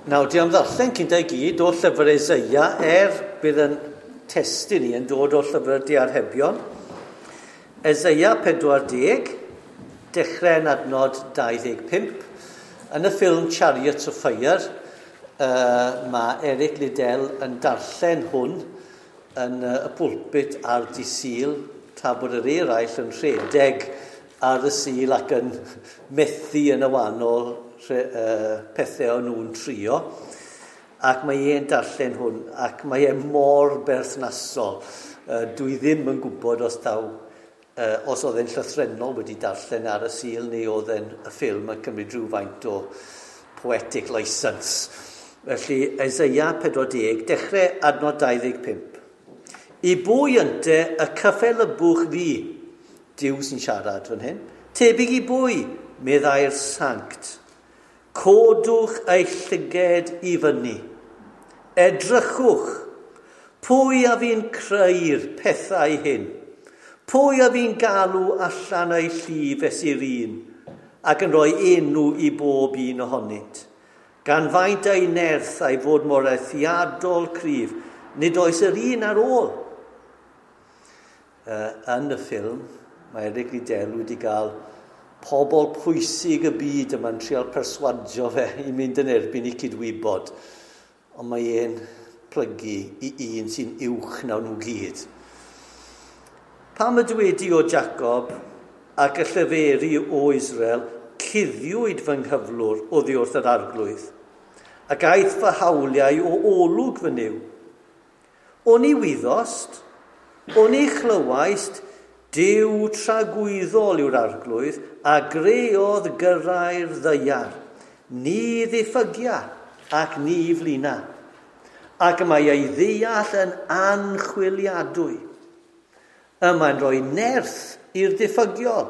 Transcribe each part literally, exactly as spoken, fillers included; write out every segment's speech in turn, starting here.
Nawr, di am ddarllen cynta i gyd o llyfr Eseia, er bydd yn testun ni yn dod o llyfr Diarhebion. Eseia pedwar deg, dechrau yn adnod dau ddeg pump. Yn y ffilm Chariots of Fire, uh, mae Eric Liddell yn darllen hwn yn uh, y pulpit ar di Sul, tra bod yr eraill yn rhedeg ar y Sul ac yn methu yn y wahanol pethau o'n nhw'n trio, ac mae e'n darllen hwn, ac mae e mor berthnasol. Dwi ddim yn gwybod os daw, os oedd e'n llythrennol wedi darllen ar y Sul neu oedd e'n y ffilm yn cymryd rhywfaint o poetic license. Felly, Eseia pedwar deg, dechrau adnod dau ddeg pump. I bwy ynte y cyffelybwch fi, Duw sy'n siarad fan hyn, tebyg i bwy, meddai'r sanct. Codwch eich llyged i fyny. Edrychwch, pwy a fi'n creu'r pethau hyn? Pwy a fi'n galw allan eu llif fesul un, ac yn rhoi enw i bob un ohonynt? Gan faint ei nerth a'i fod mor eithriadol cryf, nid oes yr un ar ôl. Uh, yn y ffilm, mae Eric Liddell wedi cael pobl pwysig y byd yma'n trial perswadio fe i mynd yn erbyn i cydwybod. Ond mae e'n plygu i un sy'n uwch na nhw gyd. Pam y dywedi o Jacob ac y llyferi o Israel, cuddiwyd fy nghyflwr oddi wrth yr arglwydd, ac aeth fy hawliau o olwg fy Nuw. Oni wyddost, oni chlywaist, Duw tragwyddol yw'r arglwydd a greodd gyrrau'r ddaear. Ni ddiffygia ac ni flina, ac mae ei ddeall yn anchwiliadwy. Y mae'n rhoi nerth i'r diffygiol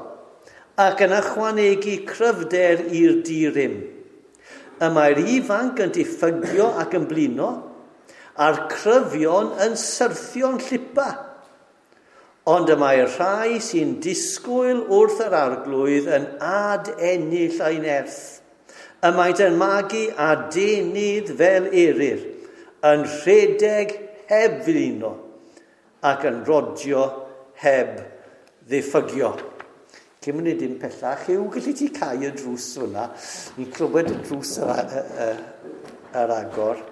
ac yn ychwanegu cryfder i'r dirym. Y mae'r ifanc yn diffygio ac yn blino, a'r cryfion yn syrthio'n llipa. Ond y mae'r rhai sy'n disgwyl wrth yr arglwydd yn ad-ennill ei nerth. Y maent yn magu a denydd fel eryr, yn rhedeg heb flino ac yn rodio heb ddiffygio. Cyn mynd dim pellach, yw gallu ti cau y drws hwnna? Ni'n clywed y drws ar, ar, ar agor.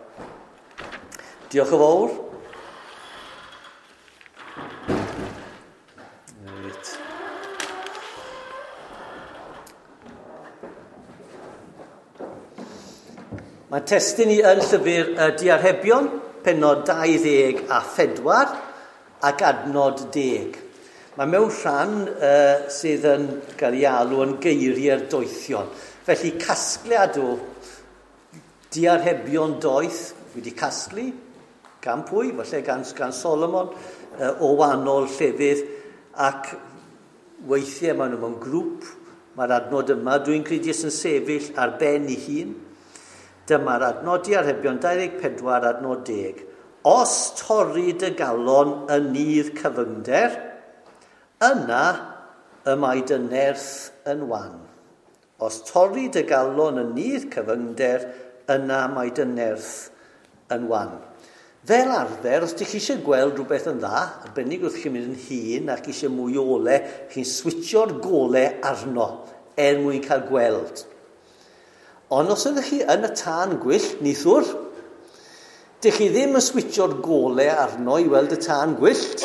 Diolch yn fawr. Mae testun ni yn llyfr y Diarhebion, pennod dau ddeg a phedwar ac adnod deg. Mae mewn rhan uh, sydd yn cael ei alw yn geiriau'r doethion. Felly casgliad o Diarhebion doeth wedi casglu gan pwy, falle gan, gan Solomon, uh, o wahanol llefydd, ac weithiau maen nhw mewn grŵp. Mae'r adnod yma, dwi'n credu sy'n sefyll ar ben ei hun. Dyma'r adnod Diarhebion dau ddeg pedwar adnod deg. Os torri dy galon yn nydd cyfyngder, yna y mae dy nerth yn wan. Os torri dy galon yn nydd cyfyngder, yna mae dy nerth yn wan. Fel arfer, os ydych chi eisiau gweld rhywbeth yn dda, arbennig wrth chi'n mynd yn hŷn ac eisiau mwy o ole, chi'n switsio'r gole arno er mwyn cael gweld. Ond os ydych chi yn y tân gwyllt, nithwr, dych chi ddim yn switsio'r gole arno i weld y tân gwyllt.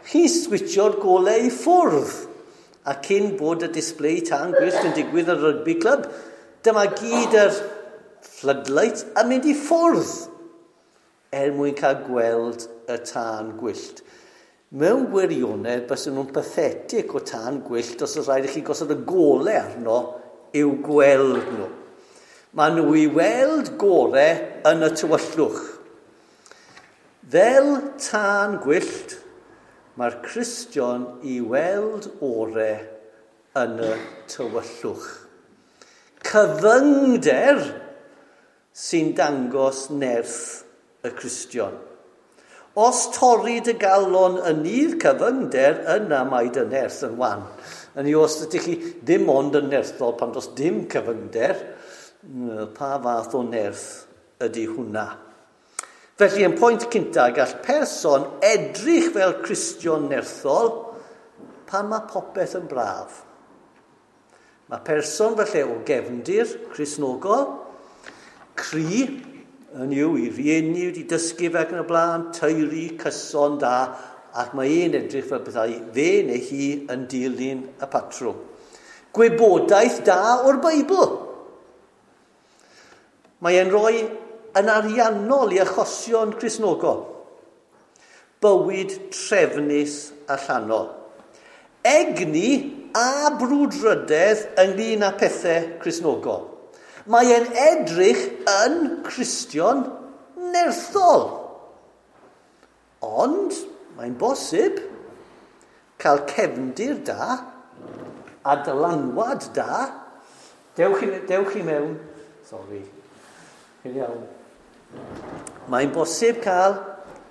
Chi'n switsio'r gole i ffwrdd. A cyn bod y display tân gwyllt yn digwydd yn rugby club, dyma gyd yr floodlight yn mynd i ffwrdd er mwyn cael gweld y tân gwyllt. Mewn gwirionedd, bysen nhw'n pathetic o tân gwyllt os oes rhaid i chi gosod y gole arno i'w gweld nhw. Mae nhw i weld gore yn y tywyllwch. Fel tân gwyllt, mae'r Cristion i weld ore yn y tywyllwch. Cyfyngder sy'n dangos nerth y Cristion. Os torri dy galon yn nydd cyfyngder, yna mae dy nerth yn wan. Yn i os ydych chi ddim ond yn nerthol pan does dim cyfyngder, Pa fath o nerth ydy hwnna? Felly, yn pwynt cynta, gall person edrych fel Cristion nerthol pan mae popeth yn braf. Mae person felly o gefndir Cristnogol, cry, yn yw i rieni wedi dysgu fe ac yn y blaen, teulu, cyson da, ac mae e'n edrych fel bethau fe neu hi yn dilyn y patrwm. Gwybodaeth da o'r Beibl. Mae e'n rhoi yn ariannol i achosion Cristnogol. Bywyd trefnus allanol. Egni a brwdfrydedd ynglyn â pethau Cristnogol. Mae e'n edrych yn Cristion nerthol. Ond mae'n bosib cael cefndir da a dylanwad da. Dewch i, dewch i mewn. Sorry. Chi'n iawn. Mae'n bosib cael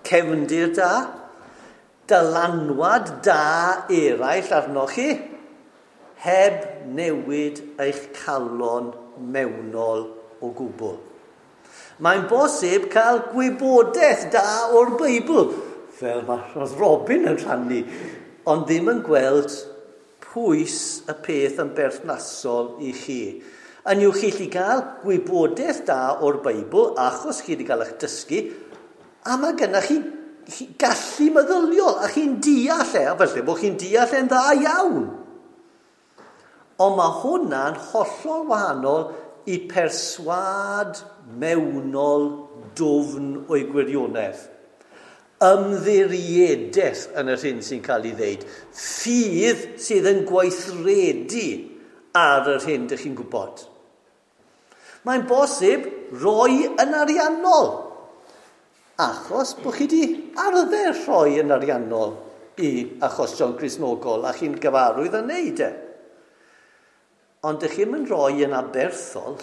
cefndir da, dylanwad da eraill arnoch chi, heb newid eich calon mewnol o gwbl. Mae'n bosib cael gwybodaeth da o'r Beibl, fel mae Robin yn rhannu, ond ddim yn gweld pwys y peth yn berthnasol i chi. Yn yw chi allu gael gwybodaeth da o'r Beibl, achos chi wedi cael eich dysgu, a mae gennych chi, chi gallu meddyliol, a chi'n deall e, a felly bod chi'n deall e'n dda iawn. Ond mae hwnna'n hollol wahanol i perswâd mewnol dwfn o'i gwirionedd. Ymddiriedaeth yn yr hyn sy'n cael ei ddeud. Ffydd sydd yn gweithredu ar yr hyn dych chi'n gwybod. Mae'n bosib roi yn ariannol, achos bod chi wedi arfer rhoi yn ariannol i achosion Cristnogol a chi'n gyfarwydd yn neud e. Ond dych chi'n mynd rhoi yn aberthol,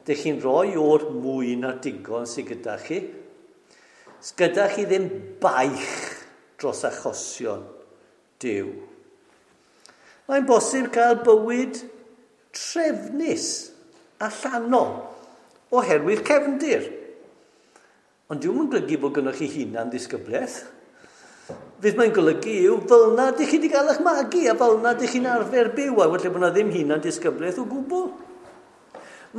dych chi'n rhoi o'r mwy na digon sydd gyda chi. Gyda chi ddim baich dros achosion Duw. Mae'n bosib cael bywyd trefnus allanol oherwydd cefndir. Ond dyw'n yn golygu bod gynnwch chi hunan ddisgyblaeth. Fydd mae'n golygu yw fel na dych chi wedi cael eich magu a fel na dych chi'n arfer byw, a felly bod na ddim hunan disgyblaeth o gwbl.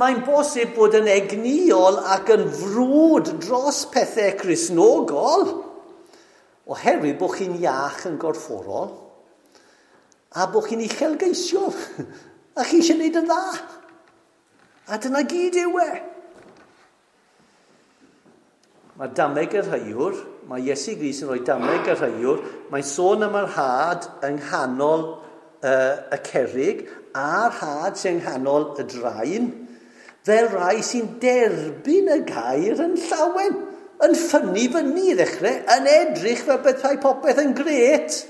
Mae'n bosib bod yn egnïol ac yn frwd dros pethau Cristnogol oherwydd bod chi'n iach yn gorfforol a bod chi'n uchelgeisiol a chi eisiau gwneud yn dda. A dyna gyd yw e. Mae dameg yr haiwr, mae Iesu Grist yn rhoi dameg yr haiwr, mae'n sôn am yr had yng nghanol uh, y cerrig a'r had sy'n yng nghanol y draen, fel rai sy'n derbyn y gair yn llawen, yn ffynnu fyny i ddechrau, yn edrych fel bethau popeth yn gret,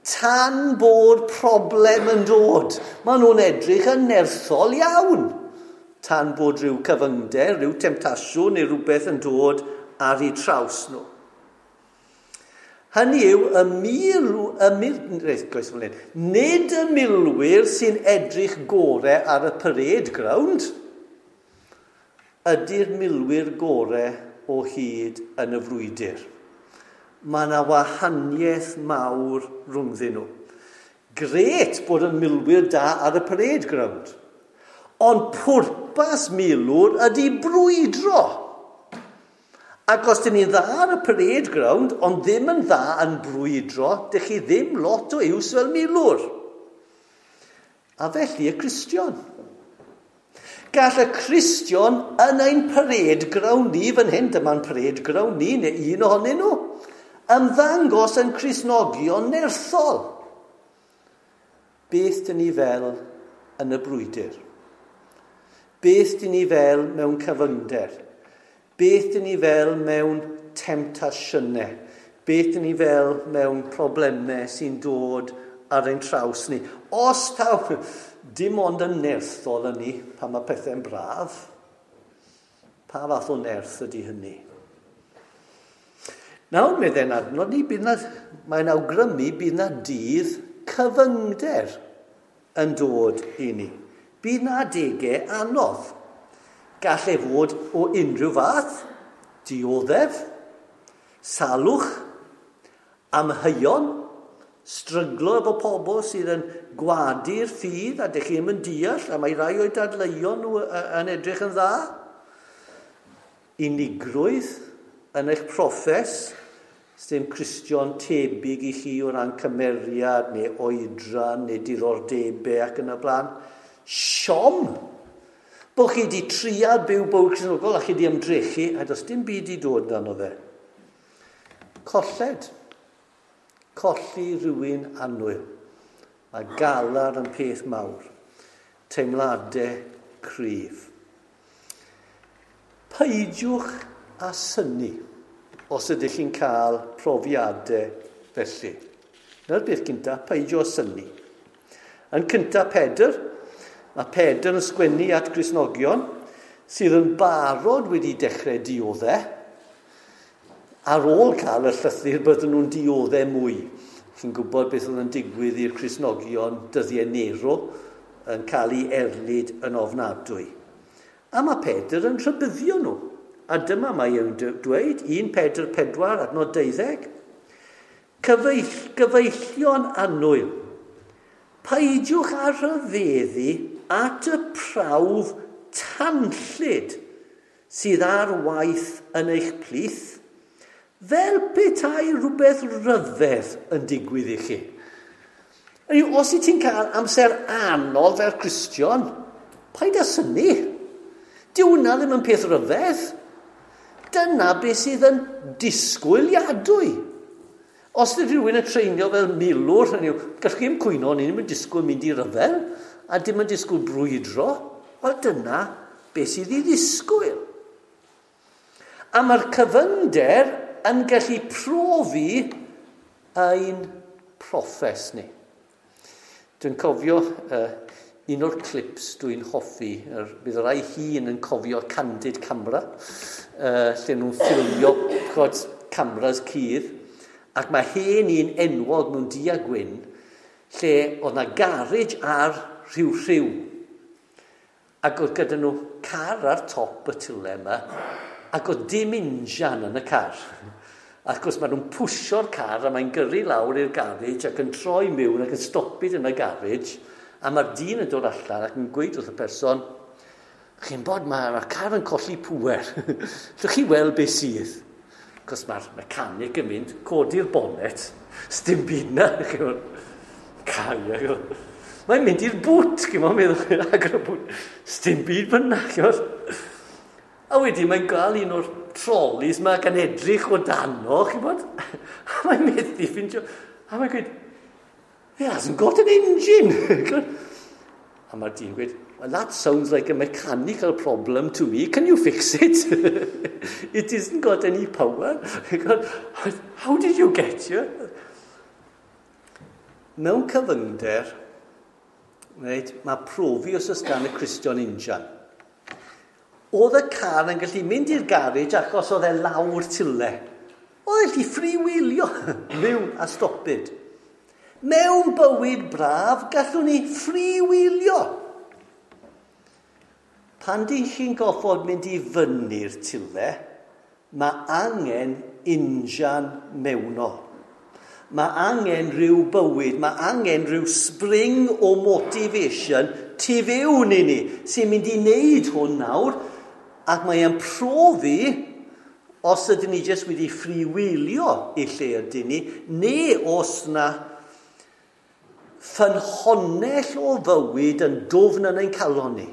tan bod problem yn dod. Maen nhw'n edrych yn nerthol iawn, tan bod rhyw cyfyngder, rhyw temtasiwn neu rhywbeth yn dod ar eu traws nhw. Hynny yw, y mil, y mil, reit, nid y milwyr sy'n edrych gorau ar y parade ground, ydy'r milwyr gorau o hyd yn y frwydr. Mae yna wahaniaeth mawr rhwngddyn nhw. Gret bod yn milwyr da ar y parade ground. Ond pwrpas milwr ydy brwydro. Ac os dyn ni'n dda ar y parade ground, ond ddim yn dda yn brwydro, dych chi ddim lot o iws fel milwr. A felly y Cristion. Gall y Cristion yn ein parade ground ni, fan hyn, dyma'n parade ground ni, neu un ohonyn nhw, ymddangos yn Cristnogion nerthol. Beth dyn ni fel yn y brwydr? Beth dyn ni fel mewn cyfyngder? Beth dyn ni fel mewn temtasiynau? Beth dyn ni fel mewn problemau sy'n dod ar ein traws ni? Os taw, dim ond yn nerthol yn ni pan mae pethau'n braf, pa fath o nerth ydy hynny? Nawr, meddai'n adnod ni, bydd na, mae'n awgrymu bydd na dydd cyfyngder yn dod i ni. Bydd na adegau anodd. Gall e fod o unrhyw fath, dioddef, salwch, amheuon, stryglo efo pobl sydd yn gwadu'r ffydd a dych chi ddim yn deall, a mae rai o'i dadleuon nhw yn edrych yn dda. Unigrwydd yn eich proffes, sdim Cristion tebyg i chi o ran cymeriad neu oedran neu diddordebau ac yn y blaen. Siom! Bod chi wedi trial byw bywyd Cristnogol a chi wedi ymdrechu a does dim byd i dod dan o fe. Colled. Colli rhywun annwyl. Mae galar yn peth mawr. Teimladau cryf. Peidiwch â synnu os ydych chi'n cael profiadau felly. Dyna'r beth cyntaf, peidio â synnu. Yn cyntaf Pedr, mae Pedr yn sgwennu at Gristnogion sydd yn barod wedi dechrau dioddef. Ar ôl cael y llythyr bydden nhw'n dioddef mwy. Chi'n gwybod beth oedd yn digwydd i'r Cristnogion dyddiau Nero yn cael ei erlid yn ofnadwy. A mae Pedr yn rhybuddio nhw. A dyma mae e'n dweud, un Pedr pedwar, adnod deuddeg. Cyfeill, gyfeillion annwyl, peidiwch â rhyfeddu at y prawf tanllyd sydd ar waith yn eich plith, fel petai rhywbeth rhyfedd yn digwydd i chi. Os wyt ti'n cael amser anodd fel Cristion, paid â synnu. Dyw hwnna ddim yn peth rhyfedd. Dyna beth sydd yn disgwyliadwy. Os ydy rhywun yn treinio fel milwr, hynny yw, gallwch chi ddim cwyno, ni ddim yn disgwyl mynd i ryfel, a dim yn disgwyl brwydro. Wel, dyna beth sydd i ddisgwyl. A mae'r cyfyngder yn gallu profi ein proffes ni. Dwi'n cofio uh, un o'r clips dwi'n hoffi, er, bydd rai hun yn cofio Candid Camera, uh, lle nhw'n ffilmio chod, cameras cudd, ac mae hen un enwog mewn du a gwyn, lle oedd na garej ar rhyw rhyw. Ac oedd gyda nhw car ar top y tyle yma, ac oedd dim injan yn y car. Ac wrth gwrs maen nhw'n pwsio'r car a mae'n gyrru lawr i'r garej ac yn troi mewn ac yn stopi yn y garej. A mae'r dyn yn dod allan ac yn gweud wrth y person, chi'n bod, mae'r ma car yn colli pŵer. Llwch chi weld beth sydd? Cos mae'r mechanic yn mynd, codi'r bonnet, sdim byd na. Car, mae'n mynd i'r bŵt, chi'n meddwl, agor y bŵt, sdim byd fyna. A wedyn mae'n gael un o'r trolleys yma gan edrych o dano, chi'n bod? A mae'n methu ffindio. A mae'n gweud, it hasn't got an engine. A mae'r dyn gweud, well, that sounds like a mechanical problem to me. Can you fix it? It isn't got any power. How did you get here? Mewn cyfyngder, right, mae profi os oes gan y Cristion injan. Oedd y car yn gallu mynd i'r garej achos oedd e lawr tyle. Oedd e'n gallu freewheelio mewn a stopid. Mewn bywyd braf, gallwn ni freewheelio. Pan dyn chi'n goffod mynd i fyny'r tyle, mae angen injan mewnol. Mae angen rhyw bywyd, mae angen rhyw spring o motivation tu fewn i ni, sy'n mynd i wneud hwn nawr, ac mae e'n profi os ydyn ni jyst wedi freewheelio i lle ydyn ni, neu os na ffynhonnell o fywyd yn dwfn yn ein calon ni.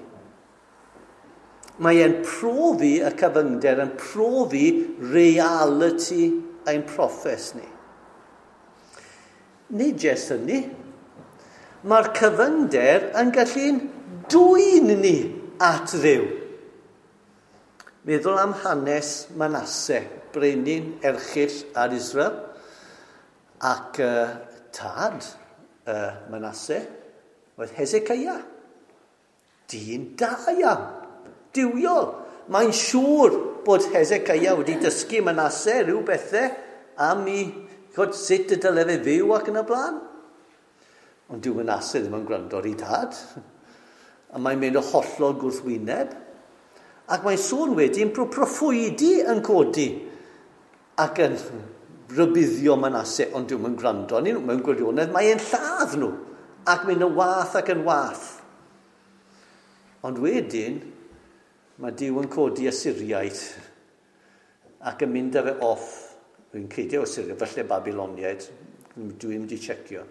Mae e'n profi y cyfyngder, yn profi reality ein proffes ni. Nid jyst hynny, mae'r cyfyngder yn gallu'n dwyn ni at Dduw. Meddwl am hanes Manasse, brenin erchyll ar Israel, ac uh, tad uh, Manasse oedd Hezekiah. Dyn da iawn, duwiol. Mae'n siŵr bod Hezekiah wedi dysgu Manasse rhyw bethau am i chod, sut y dyle fe fyw ac yn y blaen. Ond dyw Manasse ddim yn gwrando ar ei dad. A mae'n mynd o hollol gwrthwyneb. Ac mae'n sôn wedyn bod proffwydi yn codi ac yn rybuddio Manasse, ond dwi'm yn gwrando arnyn nhw, mewn gwirionedd, mae'n lladd nhw ac mynd yn wath ac yn wath. Ond wedyn, mae Duw yn codi Asyriaid ac yn mynd â fe off. Dwi'n credu o Syria, falle Babiloniaid, dwi'n mynd i checio.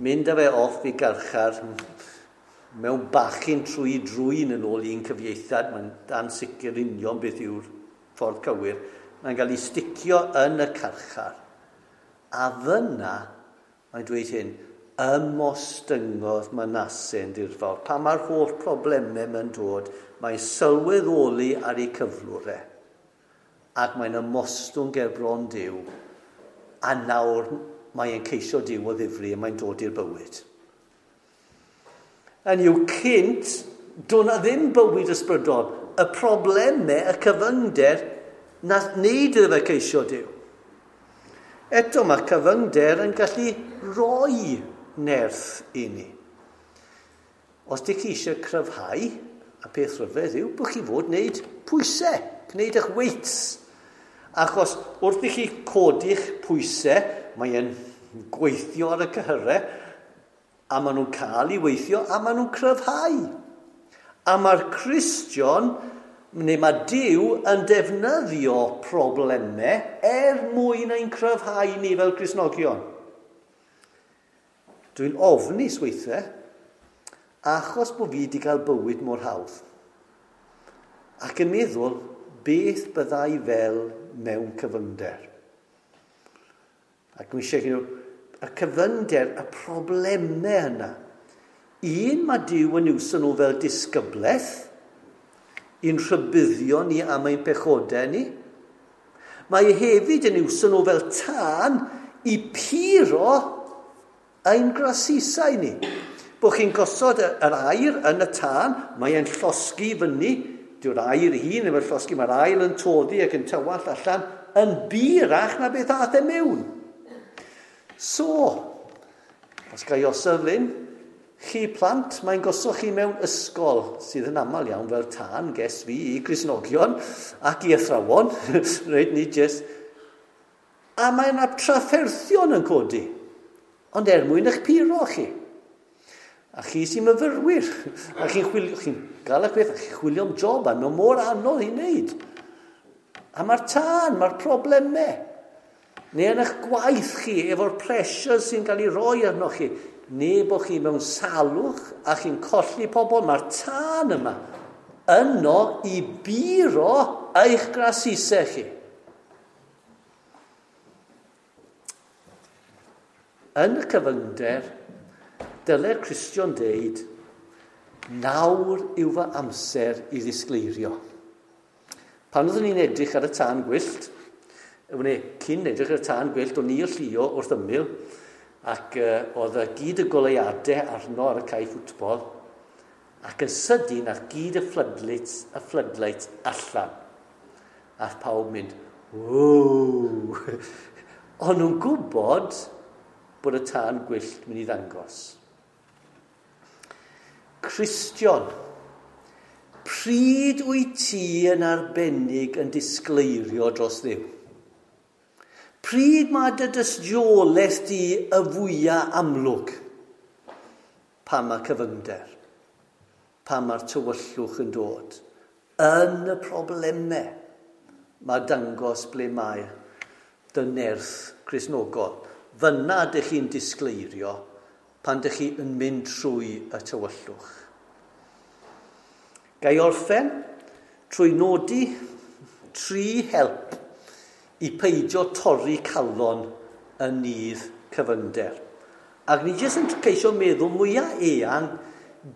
Mynd â fe off i garchar mewn bachyn trwy drwyn yn ôl un cyfieithiad, mae'n ansicr union beth yw'r ffordd cywir. Mae'n cael ei sticio yn y carchar. A fyna, mae'n dweud hyn, ymostyngodd Manasse yn dirfawr. Pan mae'r holl problemau mae'n dod, mae'n sylweddoli ar ei cyflwr e. Ac mae'n ymostwng ger bron Duw. A nawr mae'n ceisio Duw o ddifri a mae'n dod i'r bywyd. Yn yw cynt, doedd 'na ddim bywyd ysbrydol. Y problemau, y cyfyngder, nath wneud iddo fe ceisio Duw. Eto mae cyfyngder yn gallu rhoi nerth i ni. Os ydych chi eisiau cryfhau, a peth rhyfedd yw bod chi fod wneud pwysau, gwneud eich weights. Achos wrth i chi codi'ch pwysau, mae'n gweithio ar y cyhyrau, a maen nhw'n cael ei weithio, a maen nhw'n cryfhau. A mae'r Cristion, neu mae Duw yn defnyddio problemau er mwyn ein cryfhau ni fel Cristnogion. Dwi'n ofnus weithiau, achos bod fi wedi cael bywyd mor hawdd. Ac yn meddwl, beth byddai fel mewn cyfyngder? Ac mi eisiau nhw, y cyfyngder, y problemau yna. Un, mae Duw yn iwsio nhw fel disgyblaeth, i'n rhybuddio ni am ein pechodau ni. Mae hefyd yn iwsio nhw fel tân i puro ein grasusau ni. Bod chi'n gosod yr aur yn y tân, mae'n llosgi fyny, dyw'r aur ei hun ddim yn llosgi, mae'r aur yn toddi ac yn tywallt allan yn burach na beth aeth e mewn. So, os ga i osod flyn, chi plant, mae'n gosod chi mewn ysgol sydd yn aml iawn fel tân, ges fi, i Gristnogion ac i athrawon, reit, ni just. A mae yna trafferthion yn codi, ond er mwyn eich puro chi. A chi sy'n myfyrwyr, a chi'n chwilio, chi'n gael eich beth, a chi'n chwilio am job, a mae'n mor anodd i wneud. A mae'r tân, mae'r problemau. Neu yn eich gwaith chi, efo'r pressure sy'n cael ei roi arnoch chi, neu bod chi mewn salwch a chi'n colli pobl, mae'r tân yma yno i buro eich grasusau chi. Yn y cyfyngder, dylai'r Cristion deud, nawr yw fy amser i ddisgleirio. Pan oeddwn ni'n edrych ar y tân gwyllt, wne, cyn edrych ar y tân gwyllt, o'n i o Llio wrth ymyl, ac uh, oedd y gyd y goleuadau arno ar y cae ffwtbol, ac yn sydyn ath gyd y floodlights, y floodlights allan. Ath pawb mynd, ww! O'n nhw'n gwybod bod y tân gwyllt mynd i ddangos. Cristion, pryd wyt ti yn arbennig yn disgleirio dros Dduw? Pryd mae dy dystiolaeth di y fwyaf amlwg? Pan mae cyfyngder, pan mae'r tywyllwch yn dod, yn y problemau, mae dangos ble mae dy nerth Cristnogol. Fyna dych chi'n disgleirio pan dych chi yn mynd trwy y tywyllwch. Ga i orffen trwy nodi tri help i peidio torri calon yn nydd cyfyngder. Ac ni jyst yn ceisio meddwl mwyaf eang,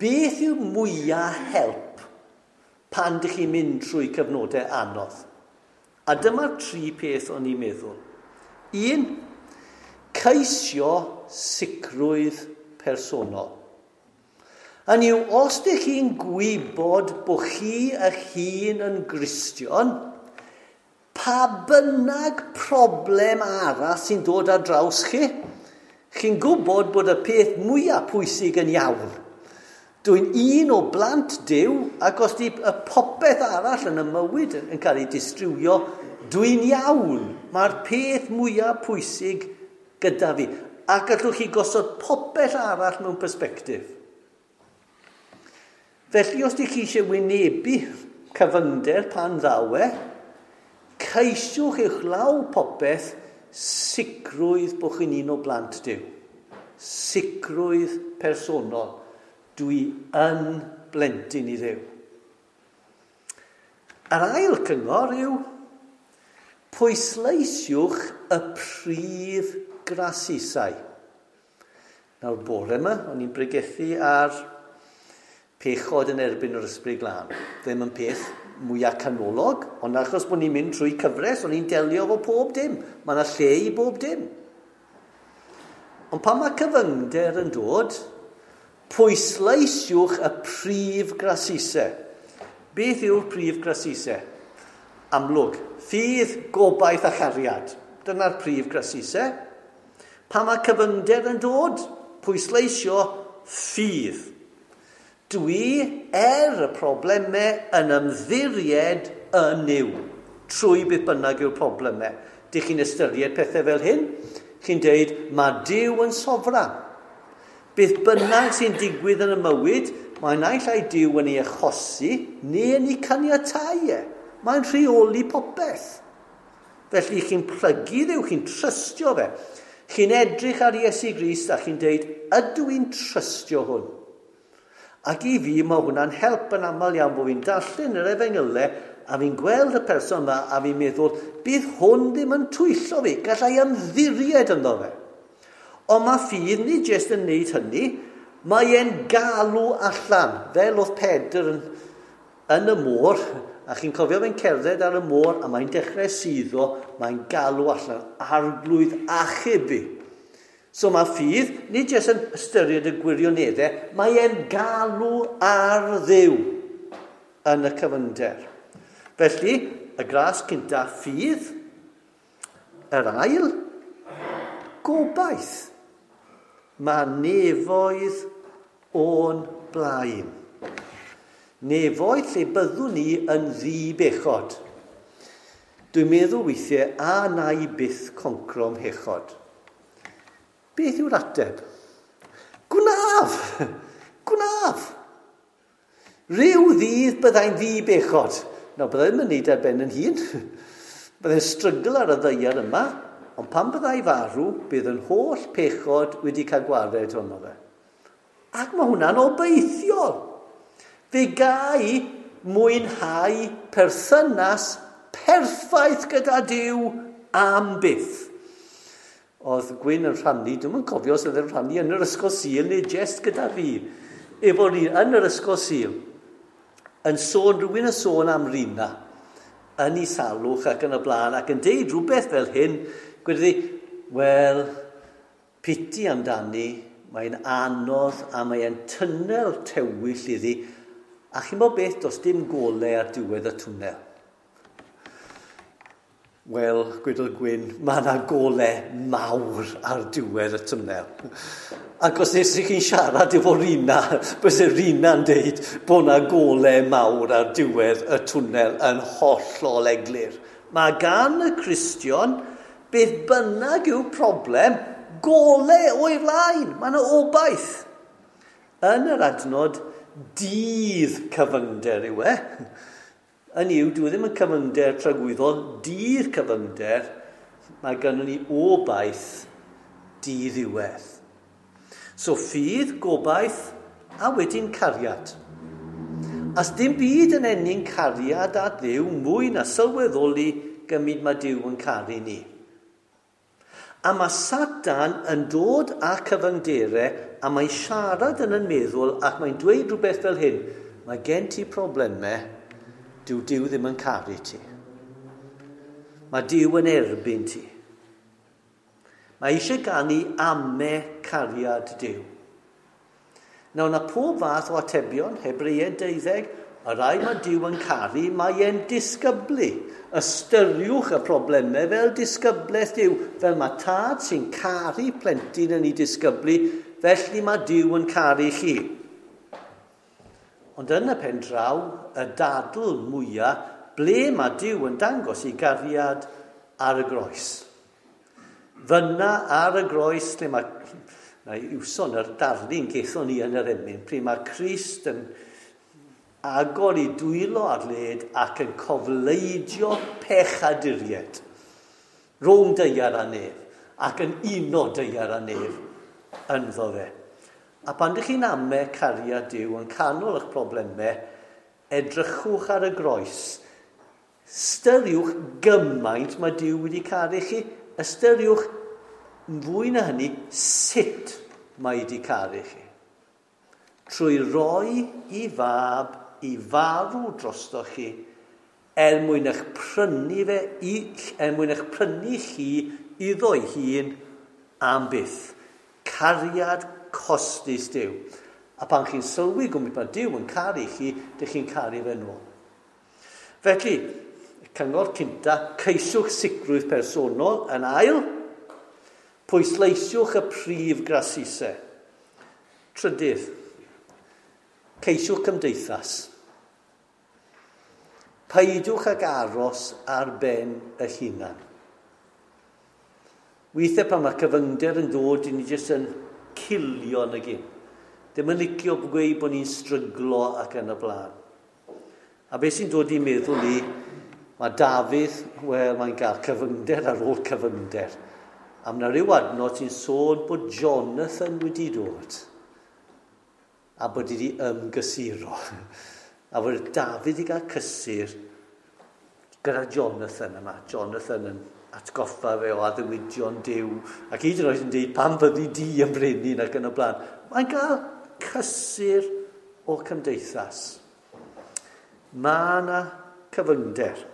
beth yw mwyaf help pan dych chi'n mynd trwy cyfnodau anodd? A dyma'r tri peth o'n i'n meddwl. Un, ceisio sicrwydd personol. Hynny yw, os dych chi'n gwybod bod chi eich hun yn Gristion, pa bynnag problem arall sy'n dod ar draws chi, chi'n gwybod bod y peth mwyaf pwysig yn iawn. Dwi'n un o blant Duw, ac os di y popeth arall yn y mywyd yn, yn cael ei distrywio, dwi'n iawn. Mae'r peth mwyaf pwysig gyda fi. A gallwch chi gosod popeth arall mewn persbectif. Felly, os di chi eisiau wynebu cyfyngder pan ddaw e, ceisiwch eich law popeth sicrwydd bod chi'n un o blant Duw. Sicrwydd personol. Dwi yn blentyn i Dduw. Yr ail cyngor yw pwysleisiwch y prif grasusau. Nawr bore yma, o'n i'n bregethu ar pechod yn erbyn yr Ysbryd Glân. Ddim yn peth mwyaf canolog, ond achos bod ni'n mynd trwy cyfres, o'n i'n delio efo pob dim. Mae yna lle i bob dim. Ond pan mae cyfyngder yn dod, pwysleisiwch y prif grasusau. Beth yw'r prif grasusau? Amlwg, ffydd, gobaith a chariad. Dyna'r prif grasusau. Pan mae cyfyngder yn dod, pwysleisio ffydd. Dwi, er y problemau, yn ymddiried yn Nuw, trwy beth bynnag yw'r problemau. Dych chi'n ystyried pethau fel hyn? Chi'n deud, mae Duw yn sofran. Beth bynnag sy'n digwydd yn y mywyd, mae naill ai Duw yn ei achosi neu yn ei caniatáu e. Mae'n rheoli popeth. Felly chi'n plygu Dduw, chi'n trystio fe. Chi'n edrych ar Iesu Grist a chi'n deud, ydw i'n trystio hwn? Ac i fi, mae hwnna'n help yn aml iawn bod fi'n darllen yr efengylau a fi'n gweld y person yma a fi'n meddwl, bydd hwn ddim yn twyllo fi, gallai ymddiried ynddo fe. Ond mae ffydd nid jyst yn wneud hynny, mae e'n galw allan, fel oedd Pedr yn, yn y môr, a chi'n cofio fe'n cerdded ar y môr, a mae'n dechrau suddo, mae'n galw allan, Arglwydd achub fi. So mae ffydd, nid jyst yn ystyried y gwirioneddau, mae e'n galw ar Dduw yn y cyfyngder. Felly, y gras cynta, ffydd, yr ail, gobaith. Mae nefoedd o'n blaen. Nefoedd lle byddwn ni yn ddi-bechod. Dwi'n meddwl weithiau, a na i byth concro 'mhechod. Beth yw'r ateb? Gwnaf! Gwnaf! Rhyw ddydd byddai'n ddi-bechod. Nawr, byddai ddim yn neud ar ben yn hun. Byddai'n strygl ar y ddaear yma, ond pan byddai farw, bydd yn holl pechod wedi cael gwared ohono fe. Ac mae hwnna'n obeithiol. Fe gai mwynhau perthynas perffaith gyda Duw am byth. Oedd Gwyn yn rhannu, dwi'm yn cofio os oedd yn rhannu yn yr ysgol Sul neu jest gyda fi, efo ni yn yr ysgol Sul, yn sôn, rhywun yn sôn am Rina, yn ei salwch ac yn y blaen, ac yn deud rhywbeth fel hyn, gwedodd hi, wel, piti amdani, mae'n anodd a mae'n twnnel tywyll iddi, a chi'n bod beth, does dim golau ar diwedd y twnnel. Wel, gwedodd Gwyn, mae yna golau mawr ar diwedd y twnnel. Ac os nes i chi'n siarad efo Rina, byse Rina'n deud bod yna golau mawr ar diwedd y twnnel yn hollol eglur. Mae gan y Cristion, beth bynnag yw problem, golau o'i flaen. Mae yna obaith. Yn yr adnod, dydd cyfyngder yw e. Yn yw, dwi ddim yn cyfyngder tragwyddol, dydd cyfyngder, mae gynnon ni obaith diddiwedd. So ffydd, gobaith, a wedyn cariad. As dim byd yn ennyn cariad at Dduw mwy na sylweddoli gymryd mae Duw yn caru ni. A mae Satan yn dod â cyfyngderau a mae'n siarad yn yn meddwl ac mae'n dweud rhywbeth fel hyn, mae gen ti problemau, dyw Duw ddim yn caru ti. Mae Duw yn erbyn ti. Mae eisiau ganu ame cariad Duw. Nawr, na pob fath o atebion, Hebreaid deuddeg, y rai mae Duw yn caru, mae e'n disgyblu. Ystyriwch y problemau fel disgyblaeth Duw, fel mae tad sy'n caru plentyn yn ei disgyblu, felly mae Duw yn caru chi. Ond yn y pen draw, y dadl mwyaf, ble mae Duw yn dangos ei gariad ar y groes. Fyna ar y groes, lle mae, na i wson yr darlun gethon ni yn yr emyn, pryd mae Crist yn agor ei dwylo ar led ac yn cofleidio pechaduriaid rhwng daear a nef, ac yn uno daear a nef ynddo fe. A pan ydych chi'n ame cariad Duw yn canol eich problemau, edrychwch ar y groes. Ystyriwch gymaint mae Duw wedi caru chi. Ystyriwch fwy na hynny sut mae wedi caru chi. Trwy roi i fab i farw drosto chi, er mwyn eich prynu fe, i, er mwyn eich prynu chi iddo'i hun am byth. Cariad costus Duw. A pan chi'n sylwi gwmpa mae Duw yn caru chi, dych chi'n caru fe nôl. Felly, cyngor cynta, ceisiwch sicrwydd personol. Yn ail, pwysleisiwch y prif grasusau. Trydydd, ceisiwch cymdeithas. Peidiwch ag aros ar ben eich hunan. Weithiau pan mae cyfyngder yn dod, i ni jyst yn cilio yn y gyn. Ddim yn licio gweud bod ni'n stryglo ac yn y blaen. A beth sy'n dod i'n meddwl i, mae Dafydd, wel, mae'n cael cyfyngder ar ôl cyfyngder. A mae yna rhyw adnod sy'n sôn bod Jonathan wedi dod a bod wedi ymgysuro. A bod Dafydd wedi cael cysur gyda Jonathan yma. Jonathan yn atgoffa fe o addewidion Duw. Ac hyd yn oed yn dweud pam fyddi di yn brenin ac yn y blaen. Mae'n cael cysur o cymdeithas. Mae yna cyfyngder.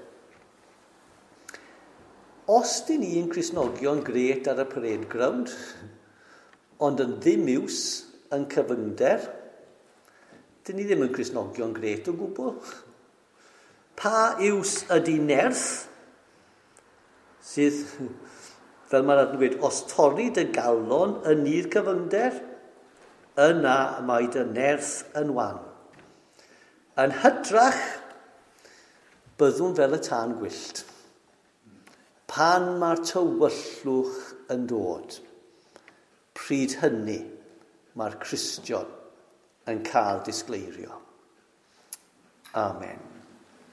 Os dyn ni'n Cristnogion gret ar y parade ground, ond yn ddim iws yn cyfyngder, dyn ni ddim yn Cristnogion gret o gwbl. Pa iws ydy nerth sydd, fel mae'r adnod yn gweud, os torri dy galon yn nydd cyfyngder, yna mae dy nerth yn wan. Yn hytrach, byddwn fel y tân gwyllt. Pan mae'r tywyllwch yn dod, pryd hynny mae'r Cristion yn cael disgleirio. Amen.